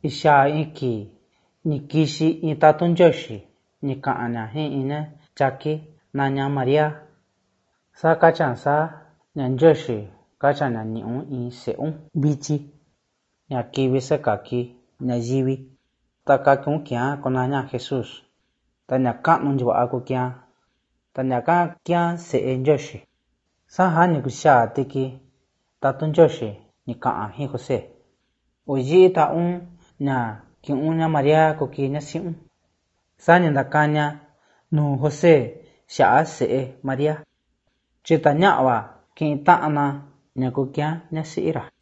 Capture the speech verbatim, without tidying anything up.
Isha iki nikishi itatunjoshi nikana hin ine chaki naña Maria. Sa kachan sa nyanjoshi kachan na niun in seun bichi. Nyaki kaki nayivi. Taka kun kia konaña Jesús. Ta nyaka nunjwa ko kia. Ta nyaka kia se njoshi. Sa ha nikusha tiki tatunjoshi nikaan hin Jose. Oyi ta un na kiun na Maria ko ki na siun. Sa nyandakanya nu Jose shaa se Maria. Chita nyawa ki taana nyakukia na siira.